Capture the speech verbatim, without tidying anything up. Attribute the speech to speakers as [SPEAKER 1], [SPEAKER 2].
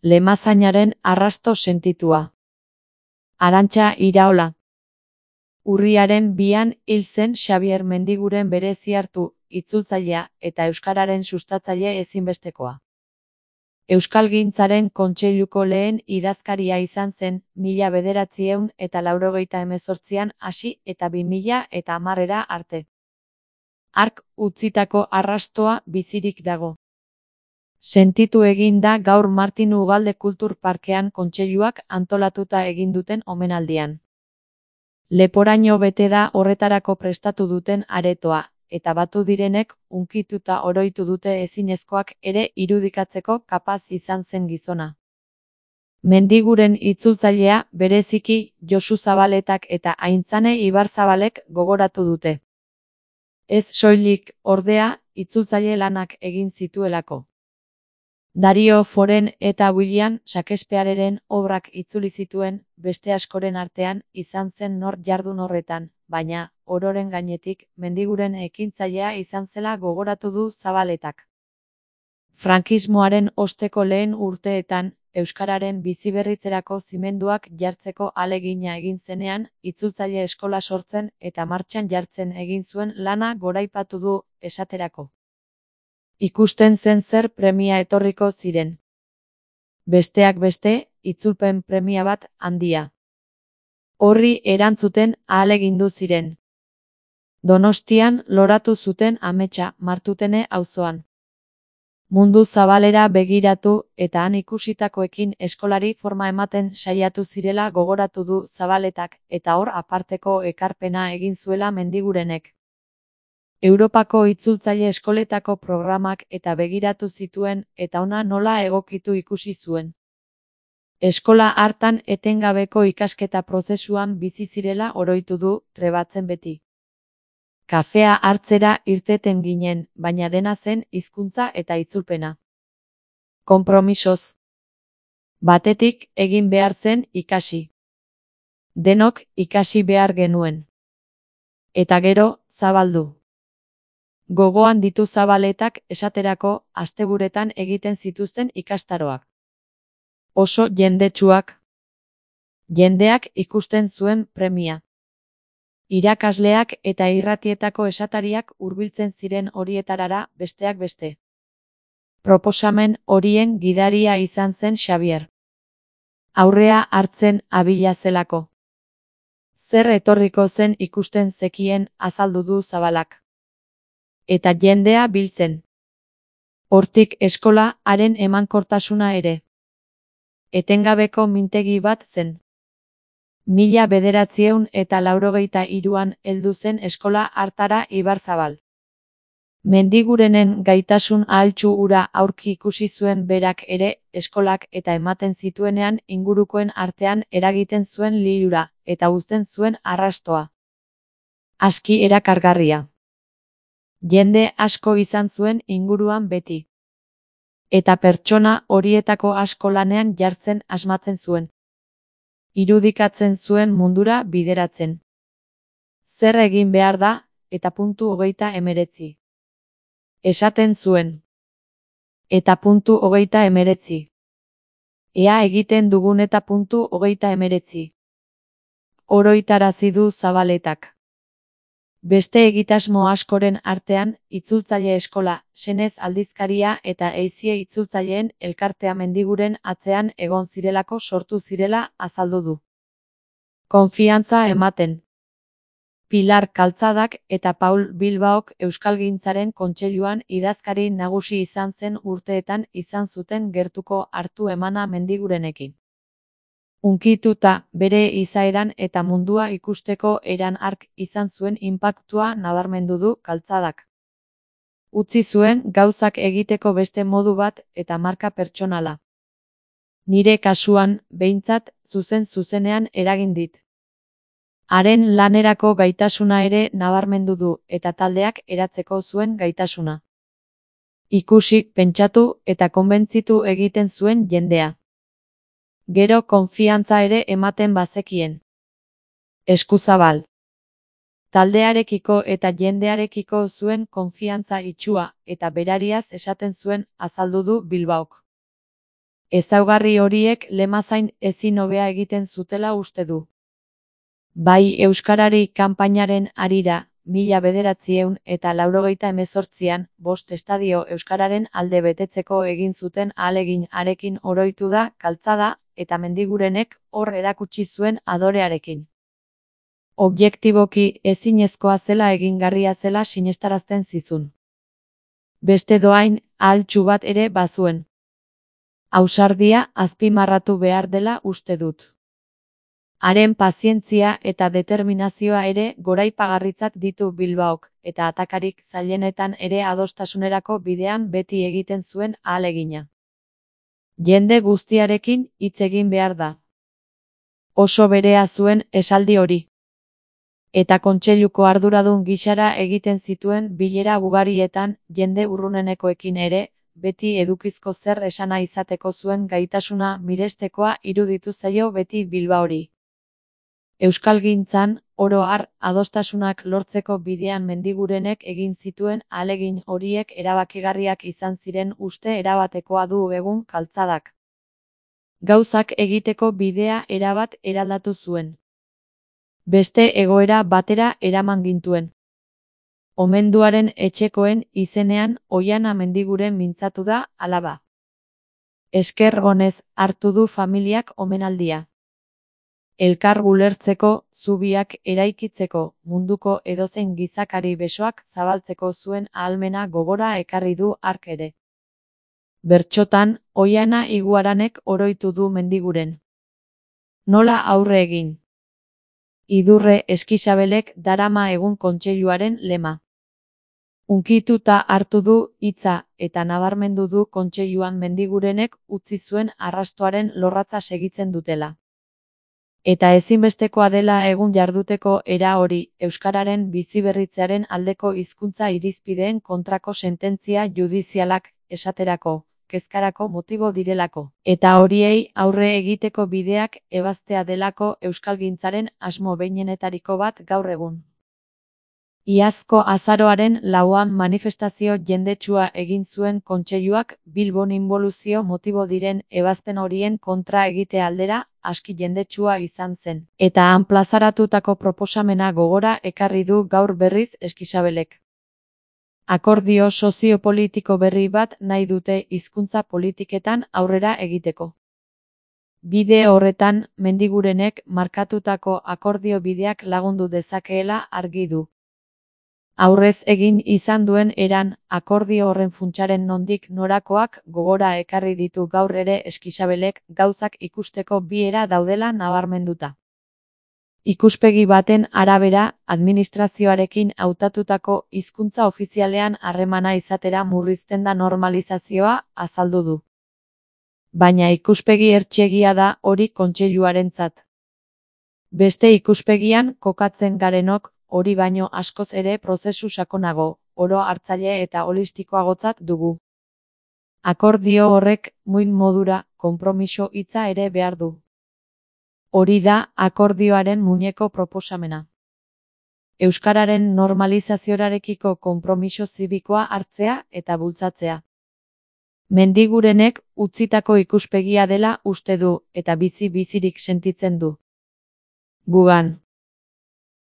[SPEAKER 1] Lemazainaren arrasto sentitua. Arantxa Iraola. Urriaren bian hil zen Xabier Mendiguren bereziartu, itzultzailea eta euskararen sustatzaile ezinbestekoa. Euskalgintzaren Kontseiluko lehen idazkaria izan zen, mila bederatziehun eta laurogeita hemezortzian hasi eta bi mila eta hamarera arte. Hark utzitako arrastoa bizirik dago. Sentitu egin da gaur Martin Ugalde Kultur Parkean Kontseiluak antolatuta egin duten omenaldian. Leporaino bete da horretarako prestatu duten aretoa, eta batu direnek hunkituta oroitu dute ezinezkoak ere irudikatzeko kapaz izan zen gizona. Mendiguren itzultzailea bereziki Josu Zabaletak eta Aintzane Ibarzabalek gogoratu dute. Ez soilik, ordea, itzultzaile lanak egin zituelako. Dario Foren eta William Shakespeareren obrak itzuli zituen, beste askoren artean izan zen nor jardun horretan, baina, ororen gainetik, Mendiguren ekintzailea izan zela gogoratu du Zabaletak. Frankismoaren osteko lehen urteetan, euskararen biziberritzerako zimenduak jartzeko ahalegina egin zenean, itzultzaile eskola sortzen eta martxan jartzen egin zuen lana goraipatu du, esaterako. Ikusten zen zer premia etorriko ziren. Besteak beste, itzulpen premia bat handia. Horri erantzuten ahalegindu ziren. Donostian loratu zuten ametsa Martutene auzoan. Mundu zabalera begiratu eta han ikusitakoekin eskolari forma ematen saiatu zirela gogoratu du Zabaletak eta hor aparteko ekarpena egin zuela Mendigurenek. Europako itzultzaile eskoletako programak eta begiratu zituen eta ona nola egokitu ikusi zuen. Eskola hartan etengabeko ikasketa prozesuan bizi zirela oroitu du, trebatzen beti. Kafea hartzera irteten ginen, baina dena zen hizkuntza eta itzulpena. Konpromisoz. Batetik egin behar zen ikasi. Denok ikasi behar genuen. Eta gero, zabaldu. Gogoan ditu Zabaletak esaterako asteburuetan egiten zituzten ikastaroak. Oso jendetsuak. Jendeak ikusten zuen premia. Irakasleak eta irratietako esatariak hurbiltzen ziren horietarara besteak beste. Proposamen horien gidaria izan zen Xabier. Aurrea hartzen abila zelako. Zer etorriko zen ikusten zekien azaldu du Zabalak. Eta jendea biltzen. Hortik eskola haren emankortasuna ere. Etengabeko mintegi bat zen. Mila bederatziehun eta laurogeita hiruan heldu zen eskola hartara Ibarzabal. Mendigurenen gaitasun ahaltsu hura aurki ikusi zuen berak ere, eskolak eta ematen zituenean ingurukoen artean eragiten zuen lilura, eta uzten zuen arrastoa. Aski erakargarria. Jende asko izan zuen inguruan beti. Eta pertsona horietako asko lanean jartzen asmatzen zuen. Irudikatzen zuen mundura bideratzen. Zer egin behar da, eta puntu hogeita emeretzi. Esaten zuen. Eta puntu hogeita emeretzi. Ea egiten dugun eta puntu hogeita emeretzi. Oroitarazi du Zabaletak. Beste egitasmo askoren artean, itzultzaile eskola, senez aldizkaria eta eizie itzultzaileen elkartea Mendiguren atzean egon zirelako sortu zirela azaldu du. Konfiantza ematen. Pilar Kaltzadak eta Paul Bilbaok Euskalgintzaren Kontseiluan idazkari nagusi izan zen urteetan izan zuten gertuko hartu emana Mendigurenekin. Hunkituta, bere izaeran eta mundua ikusteko eran hark izan zuen inpaktua nabarmendu du Kaltzadak. Utzi zuen gauzak egiteko beste modu bat eta marka pertsonala. Nire kasuan, behintzat, zuzen zuzenean eragin dit. Haren lanerako gaitasuna ere nabarmendu du eta taldeak eratzeko zuen gaitasuna. Ikusi, pentsatu eta konbentzitu egiten zuen jendea. Gero konfiantza ere ematen bazekien. Eskuzabal. Taldearekiko eta jendearekiko zuen konfiantza itsua eta berariaz esaten zuen azaldu du Bilbaok. Ezaugarri horiek lemazain ezin hobea egiten zutela uste du. Bai Euskarari kanpainaren harira, mila bederatziehun eta laurogeita hemezortzian, bost estadio Euskararen alde betetzeko egin zuten ahalegin harekin oroitu da Kaltzada, eta Mendigurenek hor erakutsi zuen adorearekin. Objektiboki ezinezkoa zela egingarria zela sinestarazten zizun. Beste doain, ahaltxu bat ere bazuen. Ausardia azpimarratu behar dela uste dut. Haren pazientzia eta determinazioa ere goraipagarritzat ditu Bilbaok, eta atakarik zailenetan ere adostasunerako bidean beti egiten zuen ahalegina. Jende guztiarekin hitz egin behar da. Oso berea zuen esaldi hori. Eta kontseiluko arduradun gisara egiten zituen bilera ugarietan jende urrunenekoekin ere, beti edukizko zer esana izateko zuen gaitasuna mirestekoa iruditu zaio beti Bilbaori. Euskalgintzan, oro har, adostasunak lortzeko bidean Mendigurenek egin zituen ahalegin horiek erabakigarriak izan ziren uste erabatekoa du egun Kaltzadak. Gauzak egiteko bidea erabat eraldatu zuen. Beste egoera batera eraman gintuen. Omenduaren etxekoen izenean Oiana Mendiguren mintzatu da, alaba. Esker onez hartu du familiak omenaldia. Elkar ulertzeko, zubiak eraikitzeko, munduko edozein gizakari besoak zabaltzeko zuen ahalmena gogora ekarri du hark ere. Bertsotan, Oiana Iguaranek oroitu du Mendiguren. Nola aurre egin? Idurre Eskixabelek darama egun kontseiluaren lema. Unkituta hartu du hitza eta nabarmendu du kontseiluan Mendigurenek utzi zuen arrastoaren lorratza segitzen dutela. Eta ezinbestekoa dela egun jarduteko era hori, Euskararen biziberritzearen aldeko hizkuntza irizpideen kontrako sententzia judizialak, esaterako, kezkarako motibo direlako, eta horiei aurre egiteko bideak ebaztea delako euskalgintzaren asmo behinenetariko bat gaur egun. Iazko azaroaren lauan manifestazio jendetsua egin zuen kontseiluak Bilbon inboluzio motibo diren ebazpen horien kontra egite aldera, aski jendetsua izan zen, eta han plazaratutako proposamena gogora ekarri du gaur berriz Eskixabelek. Akordio soziopolitiko berri bat nahi dute hizkuntza politiketan aurrera egiteko. Bide horretan, Mendigurenek markatutako akordio bideak lagundu dezakeela argi du. Aurrez egin izan duen eran, akordio horren funtsaren nondik norakoak gogora ekarri ditu gaur ere Eskixabelek gauzak ikusteko bi era daudela nabarmenduta. Ikuspegi baten arabera, administrazioarekin hautatutako hizkuntza ofizialean harremana izatera murrizten da normalizazioa, azaldu du. Baina ikuspegi hertsiegia da hori kontseiluarentzat. Beste ikuspegian kokatzen garenok, hori baino askoz ere prozesu sakonago, oro hartzaile eta holistikoagotzat dugu. Akordio horrek, muin modura, konpromiso hitza ere behar du. Hori da akordioaren muineko proposamena. Euskararen normalizazioarekiko konpromiso zibikoa hartzea eta bultzatzea. Mendigurenek utzitako ikuspegia dela uste du eta bizi bizirik sentitzen du. Gugan.